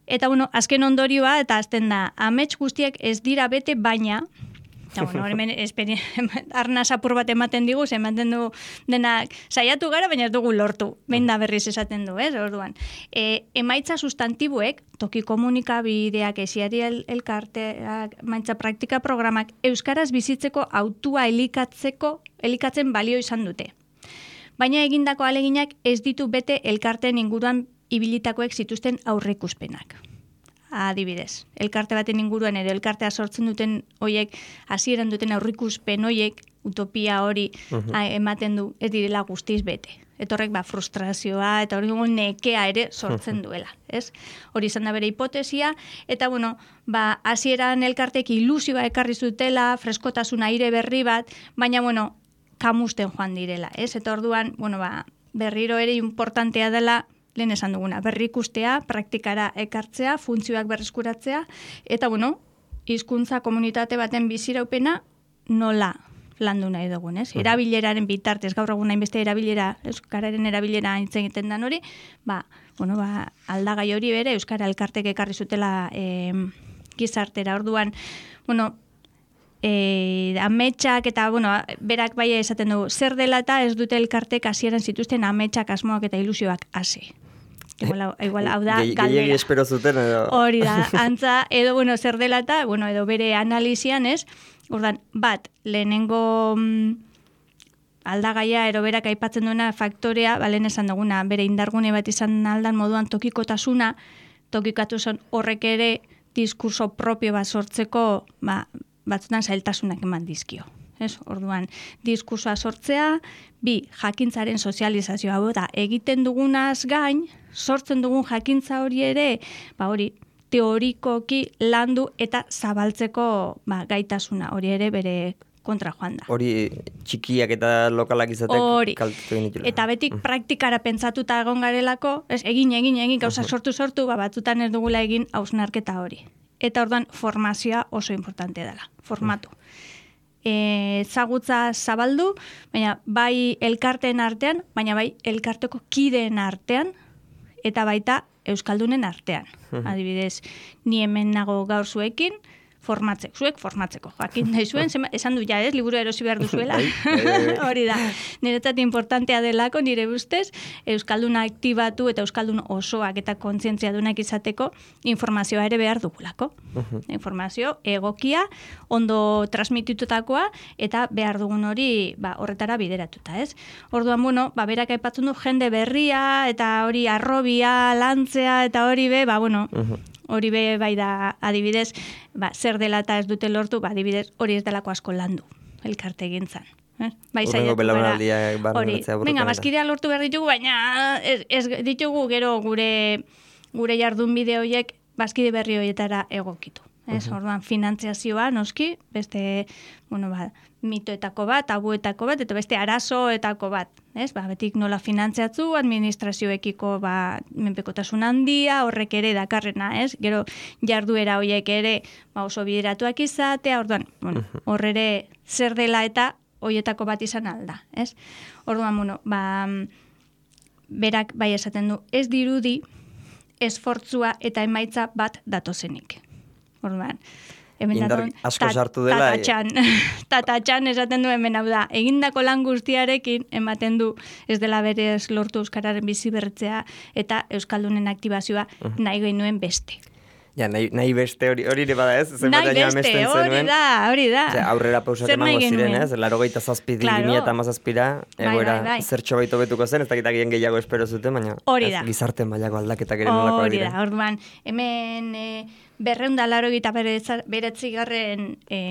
S2: Eta, bueno, azken ondorioa, eta azten da, amets guztiak ez dira bete, baina, eta, bueno, hemen arnaz apur bat ematen digu, ematen du denak saiatu gara, baina ez dugu lortu, behin da berriz esaten du, ez, orduan. E, emaitza sustantiboek, toki komunikabideak, esiari el, elkarteak, maitza praktika programak, euskaraz bizitzeko autua elikatzeko, elikatzen balio izan dute. Baina egindako aleginak ez ditu bete elkarteen inguruan ibilitakoek zituzten aurreikuspenak. Adibidez, elkarte baten inguruan edo elkartea sortzen duten hoiek hasieran duten aurreikuspen hoiek utopia hori uh-huh. a, ematen du ez direla guztiz bete. Etorrek ba frustrazioa eta hori nekea ere sortzen duela, ez? Hori izan da bere hipotesia eta bueno, ba hasieran elkartek ilusioa ekarri zutela, freskotasun aire berri bat, baina bueno, kamusten joan direla, ez? Eta orduan, bueno, ba berriro ere importantea dela lehen esan duguna, berrikustea, praktikara ekartzea, funtzioak berreskuratzea, eta, bueno, hizkuntza komunitate baten biziraupena nola landu nahi dugun, ez? Erabileraren bitartez, gaur egun hainbeste erabilera, euskararen erabilera hintzen egiten dan hori, ba, bueno, ba, aldagai hori bere, Euskara Elkartek ekarri zutela e, gizartera, orduan, bueno, E, ametsak eta, bueno, berak bai esaten du, zer dela eta ez dute elkartek hasieran zituzten ametsak, asmoak eta ilusioak hasi. Igual, igual hau da galdera.
S1: Gehiegi espero zuten edo.
S2: Hori da, antza, edo, bueno, zer dela eta, bueno, edo bere analizian, ez? Ordan, bat, lehenengo mm, aldagaia, ero berak aipatzen duena faktorea, ba, lehen esan duguna, bere indargune bat izan aldan moduan tokikotasuna, tokikatu zen horrek ere diskurso propio bat sortzeko, ba, batzutan zailtasunak eman dizkio. Ez? Orduan, diskursoa sortzea, bi, jakintzaren sozializazioa, hau da, egiten dugunaz gain, sortzen dugun jakintza hori ere, ba hori, teorikoki landu eta zabaltzeko ba, gaitasuna, hori ere bere kontra joan da.
S1: Hori txikiak eta lokalak izatek kaltetu egin ditula.
S2: Eta betik praktikara pentsatuta egon garelako, ez, egin, egin, egin, gauza sortu-sortu, ba, batzutan ez dugula egin hausnarketa hori. Eta orduan formazioa oso importante dela, formatu. E, zagutza zabaldu, baina bai elkarteen artean, baina bai elkarteko kideen artean, eta baita euskaldunen artean. Adibidez, ni hemen nago gaur zuekin, formatzeko, zuek formatzeko. Jakin nahi zuen, esan du ja ez, liburu erosi behar duzuela. Hori da. Niretzat importantea delako, nire ustez, euskalduna aktibatu eta euskaldun osoak eta kontzientzia dunak izateko informazioa ere behar dugulako. Informazio egokia, ondo transmititutakoa eta behar dugun hori ba, horretara bideratuta, ez? Orduan, bueno, ba, berak aipatzen du jende berria eta hori arrobia, lantzea eta hori be, ba, bueno, hori be bai da adibidez, ba, zer dela eta ez dute lortu, ba, adibidez hori ez delako asko landu, elkarte egintzan. Eh? Bai,
S1: Urrengo belaunaldiak
S2: hori, venga, bazkidea lortu behar ditugu, baina ez, ez ditugu gero gure gure jardun bide horiek bazkide berri horietara egokitu. Ez, uh-huh. Orduan, finantziazioa, noski, beste, bueno, ba, mitoetako bat, tabuetako bat, eta beste arazoetako bat, ez? Ba, betik nola finantziatzu, administrazioekiko, ba, menpekotasun handia, horrek ere dakarrena, ez? Gero, jarduera horiek ere, ba, oso bideratuak izatea, orduan, bueno, hor ere zer dela eta horietako bat izan alda, ez? Orduan, bueno, ba, berak bai esaten du, ez dirudi, esfortzua eta emaitza bat datozenik. Orduan, hemen
S1: Indar asko sartu dela.
S2: Tatatxan, tatatxan esaten du hemen hau da. Egindako lan guztiarekin ematen du ez dela berez lortu euskararen bizi berritzea eta euskaldunen aktibazioa uh-huh. nahi genuen beste.
S1: Ja, nahi, nahi beste hori hori ere bada ez?
S2: Nahi beste, hori da, hori da.
S1: Zer, aurrera pausak emango ziren ez? Laro gaita zazpi
S2: claro.
S1: eta mazazpira, egoera
S2: bai, bai.
S1: zertxo baito betuko zen, ez dakit agien gehiago espero zuten, baina
S2: hori da.
S1: Gizarte mailako aldaketak ere nolako
S2: hori da, orduan, hemen e, berreunda laro gita beretzigarren e,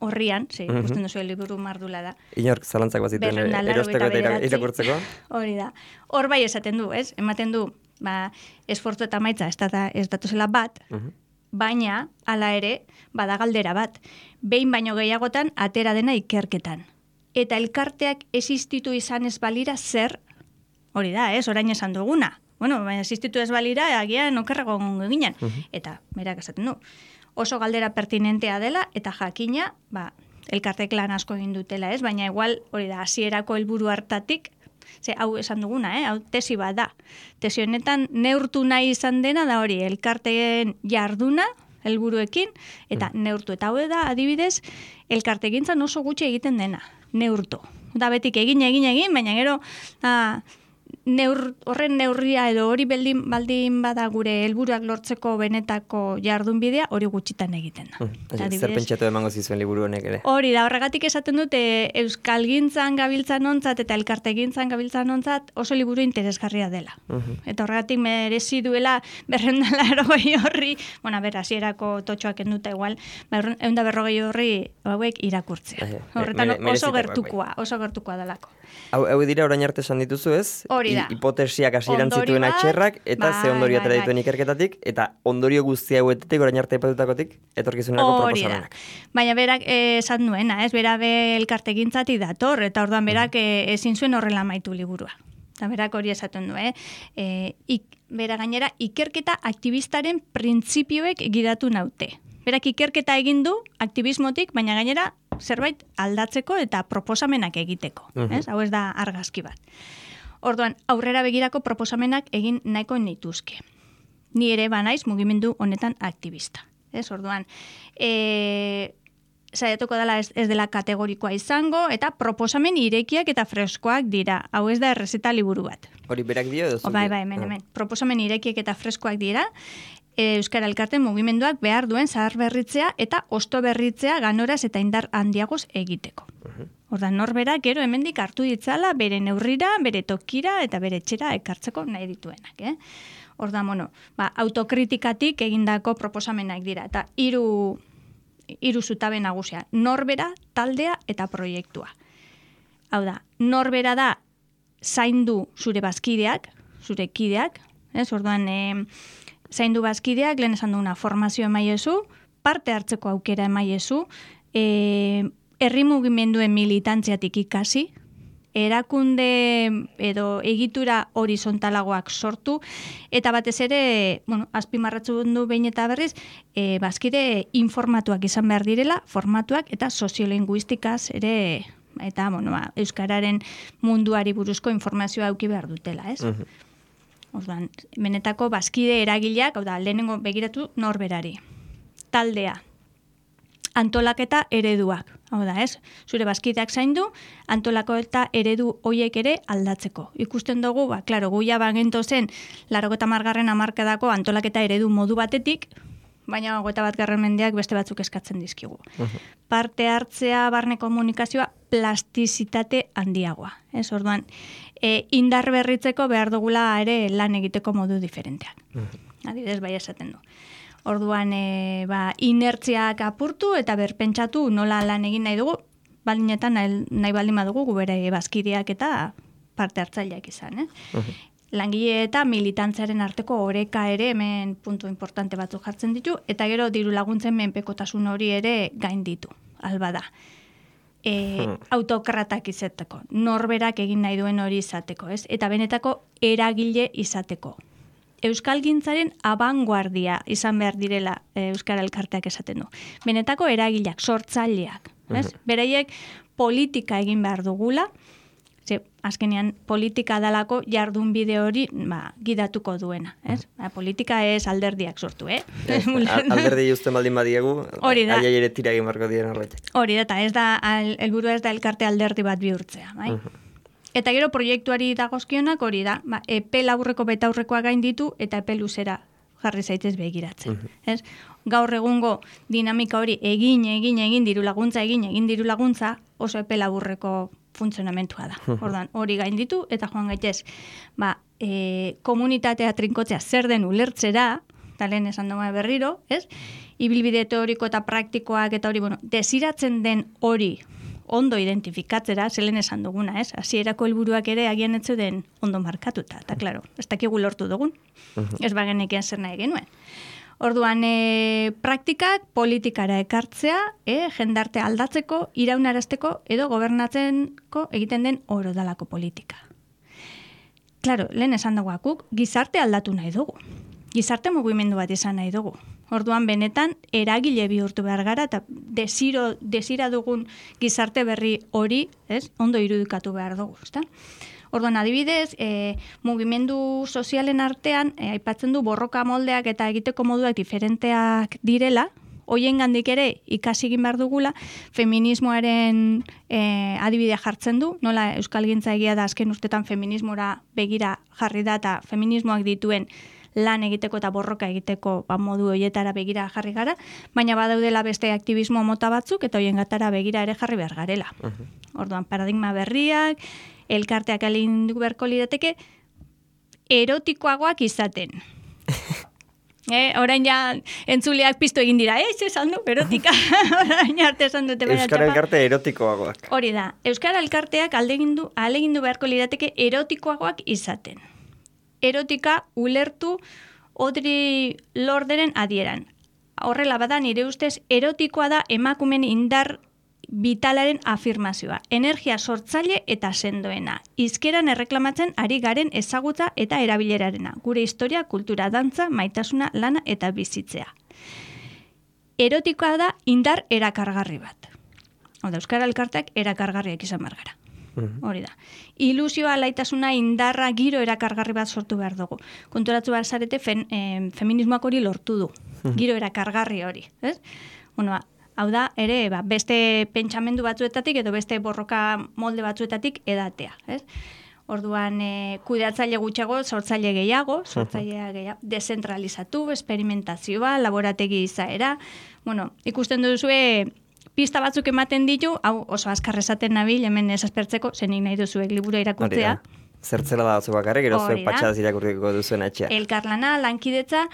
S2: horrian, ze, uh-huh. ikusten duzu liburu mardula da.
S1: Inork zalantzak bazituen erosteko eta irakurtzeko.
S2: Hori da. Hor bai esaten du, ez? Ematen du, ba, esfortzu eta maitza ez, data, ez datuzela bat, uh-huh. baina, hala ere, bada galdera bat. Behin baino gehiagotan atera dena ikerketan. Eta elkarteak existitu izan ez balira zer, hori da, ez? Orain esan duguna. Bueno, baina existitu ez balira, agian okerrago ginen. Uh-huh. Eta, berak esaten du. Oso galdera pertinentea dela, eta jakina, ba, elkartek lan asko egin dutela, ez? Baina igual, hori da, hasierako helburu hartatik, ze hau esan duguna, eh? Hau tesi bat da. Tesi honetan neurtu nahi izan dena da hori, elkarteen jarduna, helburuekin, eta mm. neurtu. Eta hau da, adibidez, elkartegintzan oso gutxi egiten dena, neurtu. Da betik egin, egin, egin, baina gero, da, neur, horren neurria edo hori baldin, baldin bada gure helburuak lortzeko benetako jardunbidea hori gutxitan egiten da.
S1: Hmm, zer pentsatu emango zizuen liburu honek ere?
S2: Hori da, horregatik esaten dute euskalgintzan gabiltzan ontzat eta elkartegintzan gabiltzan ontzat oso liburu interesgarria dela. Uh-huh. Eta horregatik merezi duela berreunda berrogei horri, bueno, ber, hasierako totxoak enduta igual, berreunda berrogei horri hauek irakurtzea. Horretan oso gertukoa, oso gertukoa dalako.
S1: Hau, hau dira orain arte esan dituzu ez?
S2: Hori da.
S1: Hipotesiak hasieran zituen atxerrak, eta
S2: bai,
S1: ze ondorio atera
S2: bai,
S1: dituen ikerketatik, eta ondorio guzti hauetetik orain arte ipatutakotik, etorkizunerako proposamenak.
S2: Baina berak esan duena, ez? Bera be elkartegintzatik dator, eta orduan berak e, ezin zuen horrela amaitu liburua. Eta berak hori esaten du, eh? E, ik, bera gainera, ikerketa aktivistaren printzipioek gidatu naute. Berak ikerketa egin du aktivismotik, baina gainera zerbait aldatzeko eta proposamenak egiteko. Uh-huh. Ez? Hau ez da argazki bat. Orduan, aurrera begirako proposamenak egin nahiko nituzke. Ni ere banaiz mugimendu honetan aktivista. Ez? Orduan, e, saiatuko dela ez, ez dela kategorikoa izango, eta proposamen irekiak eta freskoak dira. Hau ez da errezeta liburu bat.
S1: Hori berak dio edo?
S2: O, bai, bai, hemen, hemen. Proposamen irekiak eta freskoak dira, Euskara Elkarte mugimenduak behar duen zahar berritzea eta osto berritzea ganoraz eta indar handiagoz egiteko. Uh-huh. Ordan norbera gero hemendik hartu ditzala bere neurrira, bere tokira eta bere etxera ekartzeko nahi dituenak. Eh? Ordan, bueno, ba, autokritikatik egindako proposamenak dira. Eta hiru hiru zutabe nagusia. Norbera, taldea eta proiektua. Hau da, norbera da zaindu zure bazkideak, zure kideak, ez? Orduan, eh, zaindu bazkideak, lehen esan duguna formazio emaiezu, parte hartzeko aukera emaiezu, e, herri mugimenduen militantziatik ikasi, erakunde edo egitura horizontalagoak sortu, eta batez ere, bueno, azpimarratzu du behin eta berriz, e, bazkide informatuak izan behar direla, formatuak eta soziolinguistikaz ere, eta bueno, ba, euskararen munduari buruzko informazioa auki behar dutela, ez? Uh-huh. Orduan, benetako bazkide eragileak, hau da, lehenengo begiratu norberari. Taldea, antolaketa ereduak, hau da, ez? Zure bazkideak zaindu, antolako eta eredu hoiek ere aldatzeko. Ikusten dugu, ba, klaro, guia bagento zen, larogeta margarren amarkadako antolaketa eredu modu batetik, baina hogeita bat garren mendeak beste batzuk eskatzen dizkigu. Uh-huh. Parte hartzea, barne komunikazioa, plastizitate handiagoa. Ez, orduan, e, indar berritzeko behar dugula ere lan egiteko modu diferenteak. Uh-huh. Adibidez, bai esaten du. Orduan, e, ba, inertziak apurtu eta berpentsatu nola lan egin nahi dugu, baldinetan nahi, nahi baldin badugu gubere bazkideak eta parte hartzaileak izan. Eh? Uh-huh. langile eta militantziaren arteko oreka ere hemen puntu importante batzuk jartzen ditu, eta gero diru laguntzen menpekotasun hori ere gain ditu, alba da. E, hmm. autokratak izateko, norberak egin nahi duen hori izateko, ez? Eta benetako eragile izateko. Euskalgintzaren abanguardia izan behar direla Euskara Elkarteak esaten du. Benetako eragileak, sortzaileak, ez? Hmm. Beraiek politika egin behar dugula, ze, azkenean politika dalako jardun bide hori ba, gidatuko duena. Ez? Ba, politika ez alderdiak sortu, eh?
S1: Alderdi justen baldin badiegu, aia ere tira egin barko diren horretak.
S2: Hori da, eta ez da, helburua ez da elkarte alderdi bat bihurtzea. Bai? Uh-huh. Eta gero proiektuari dagozkionak hori da, ba, epe laburreko betaurrekoa gain ditu eta epe luzera jarri zaitez begiratzen. Uh-huh. Ez? Gaur egungo dinamika hori egin, egin, egin diru laguntza, egin, egin diru laguntza, oso epe laburreko funtzionamentua da. Ordan hori gain ditu eta joan gaitez, ba, e, komunitatea trinkotzea zer den ulertzera, eta lehen esan doma berriro, ez? Ibilbide teoriko eta praktikoak eta hori, bueno, desiratzen den hori ondo identifikatzera, zelen esan duguna, ez? Hasierako helburuak ere agian etzu den ondo markatuta, eta klaro, ez dakigu lortu dugun, ez bagenekian zer nahi genuen. Orduan, e, praktikak politikara ekartzea, e, jendarte aldatzeko, iraunarazteko edo gobernatzenko egiten den oro dalako politika. Claro, lehen esan dagoakuk, gizarte aldatu nahi dugu. Gizarte mugimendu bat izan nahi dugu. Orduan, benetan, eragile bihurtu behar gara, eta desiro, desira dugun gizarte berri hori, ez, ondo irudikatu behar dugu, ezta? Orduan, adibidez, e, mugimendu sozialen artean, e, aipatzen du borroka moldeak eta egiteko moduak diferenteak direla, hoien gandik ere ikasi egin behar dugula, feminismoaren e, adibidea jartzen du, nola Euskalgintza egia da azken urtetan feminismora begira jarri da eta feminismoak dituen lan egiteko eta borroka egiteko ba, modu horietara begira jarri gara, baina badaudela beste aktivismo mota batzuk eta hoien gatara begira ere jarri behar garela. Uh-huh. Orduan, paradigma berriak, elkarteak alindu beharko lirateke, erotikoagoak izaten. eh, orain ja entzuleak piztu egin dira, ez esan du, erotika, orain arte esan dute bera txapa.
S1: Euskara elkarte erotikoagoak.
S2: Hori da, Euskara elkarteak aldegindu, alegindu beharko lirateke erotikoagoak izaten. Erotika ulertu Audre Lorderen adieran. Horrela bada nire ustez erotikoa da emakumen indar vitalaren afirmazioa, energia sortzaile eta sendoena, hizkeran erreklamatzen ari garen ezagutza eta erabilerarena, gure historia, kultura, dantza, maitasuna, lana eta bizitzea. Erotikoa da indar erakargarri bat. Oda, Euskara Elkarteak erakargarriak izan behar gara. Hori da. Ilusioa, laitasuna, indarra, giro erakargarri bat sortu behar dugu. Konturatu behar zarete, fen, eh, feminismoak hori lortu du. Giro erakargarri hori. Ez? Bueno, hau da, ere, ba, beste pentsamendu batzuetatik edo beste borroka molde batzuetatik edatea. Ez? Orduan, e, kudeatzaile gutxago, sortzaile gehiago, sortzailea gehiago, dezentralizatu, experimentazioa, laborategi izaera. Bueno, ikusten duzue, pista batzuk ematen ditu, hau oso azkar esaten nabil, hemen ez aspertzeko, zenik nahi duzuek liburu irakurtzea.
S1: Zertzela da batzu bakarrik, gero zuek patxadaz irakurriko duzuen etxea.
S2: Elkarlana, lankidetza,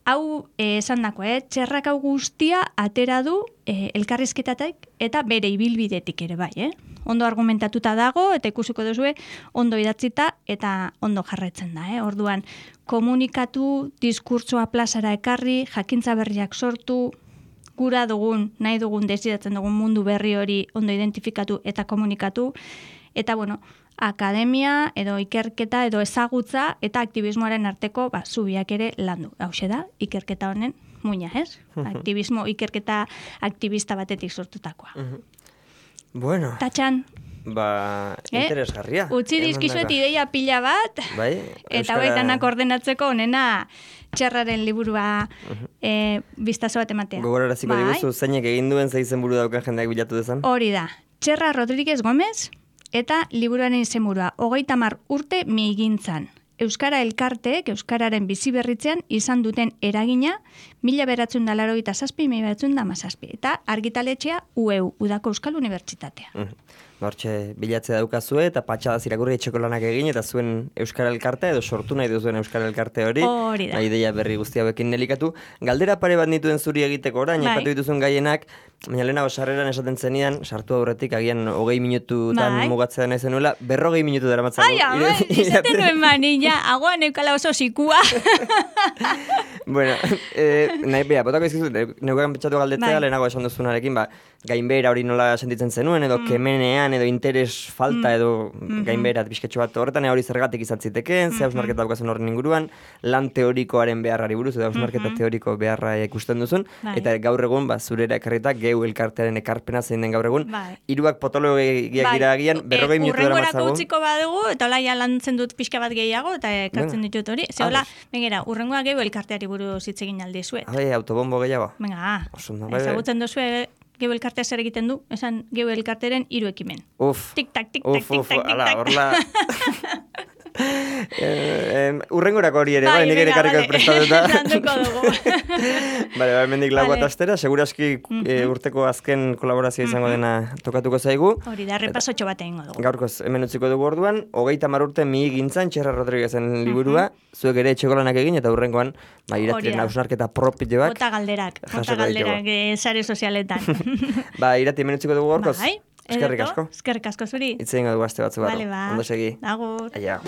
S2: hau esan dako, eh? Txerrak hau guztia atera du eh, elkarrizketatik eta bere ibilbidetik ere bai. Eh? Ondo argumentatuta dago eta ikusiko duzue ondo idatzita eta ondo jarraitzen da. Eh? Orduan, komunikatu, diskurtsoa plazara ekarri, jakintza berriak sortu, gura dugun, nahi dugun, desiratzen dugun mundu berri hori ondo identifikatu eta komunikatu. Eta, bueno, akademia edo ikerketa edo ezagutza eta aktivismoaren arteko ba, zubiak ere landu. Hauxe da, ikerketa honen muina, ez? Aktivismo, ikerketa aktivista batetik sortutakoa.
S1: Bueno.
S2: Tatxan.
S1: Ba, interesgarria.
S2: Eh? Utzi dizkizuet ideia pila bat, bai? Eta Euskara... baitanak ordenatzeko onena txerraren liburua uh-huh. e, biztazo bat ematea.
S1: Gogoraraziko bai? Diguzu, zeinek egin duen zeizen buru dauka jendeak bilatu dezan?
S2: Hori da, Txerra Rodríguez Gómez, eta liburuaren izenburua, hogeita hamar urte migintzan. Euskara elkarteek, Euskararen biziberritzean izan duten eragina, mila beratzen da larogeita zazpi, mila beratzen da mazazpi. Eta argitaletxea U E U, Udako Euskal Unibertsitatea.
S1: Uh-huh. hortxe bilatzea daukazue, eta patxadaz irakurri etxeko lanak egin, eta zuen Euskara Elkartea, edo sortu nahi duzuen Euskara Elkarte hori.
S2: Hori da.
S1: Ideia berri guzti hauekin nelikatu. Galdera pare bat nituen zuri egiteko orain,
S2: Bai.
S1: aipatu dituzun gaienak, baina lehenago sarreran esaten zenidan, sartu aurretik agian hogei minututan
S2: Bai.
S1: mugatzea nahi zenuela, berrogei minutu daramatzagu.
S2: Ai, ama, izaten nuen manila, agoan eukala oso sikua.
S1: Bueno, eh, nahi beha, botako izkizu, neukan pentsatu galdetzea,
S2: Bai.
S1: lehenago esan duzunarekin, ba, gainbehera hori nola sentitzen zenuen, edo
S2: Mm.
S1: kemenean, edo interes falta,
S2: Mm.
S1: edo
S2: Mhm.
S1: gainbeherat bizketxo bat horretan, hori zergatik izan zitekeen, ze hausnarketa daukazen horren inguruan, lan teorikoaren beharrari buruz, edo hausnarketa
S2: Mhm.
S1: teoriko beharra ikusten duzun,
S2: Bai.
S1: eta gaur egun, ba, zurera ekarrita, geu elkartearen ekarpena zein den gaur egun,
S2: Bai.
S1: hiruak potologiak
S2: Bai,
S1: dira agian, berrogei
S2: eh,
S1: minutu
S2: urrengorako
S1: daramatzagu.
S2: utziko badugu, eta hola ja lantzen dut pixka bat gehiago, eta ekartzen
S1: Venga.
S2: ditut hori. Ze hola,
S1: Ados.
S2: bengera, urrengoa gehu elkarteari buruz hitz egin aldi zuet.
S1: Abe, autobombo gehiago.
S2: Venga,
S1: Oso ondo, bai, bai.
S2: ezagutzen duzu gehu elkartea zer egiten du, esan gehu elkarteren hiru ekimen.
S1: Uf,
S2: Tik-tak, tik-tak,
S1: uf, uf,
S2: tik-tak,
S1: ala,
S2: tik-tak.
S1: horla... eh, em, urrengorako hori ere, bai, nik ere
S2: venga,
S1: karriko
S2: vale.
S1: prestatuta.
S2: Landuko dugu.
S1: Bale, bai, mendik lau
S2: Vale.
S1: bat astera, seguraski eh, urteko azken kolaborazioa izango dena tokatuko zaigu.
S2: Hori da, repasotxo bat egingo dugu.
S1: Gaurkoz, hemen utziko dugu orduan, hogeita mar urte mi gintzan, Txerra Rodriguezen liburua, zuek ere etxeko lanak egin, eta hurrengoan, ba,
S2: Hori
S1: iratiren
S2: da.
S1: hausnarketa propioak.
S2: Bota galderak, bota
S1: jasoko
S2: galderak
S1: ditugu.
S2: eh, sare sozialetan.
S1: Ba, irati hemen utziko dugu gaurkoz.
S2: Bai,
S1: Eskerrik
S2: ederto.
S1: asko.
S2: Eskerrik asko zuri.
S1: Hitz egingo dugu aste batzu barru.
S2: Vale, ba.
S1: Ondo segi.
S2: Agur.
S1: Aia.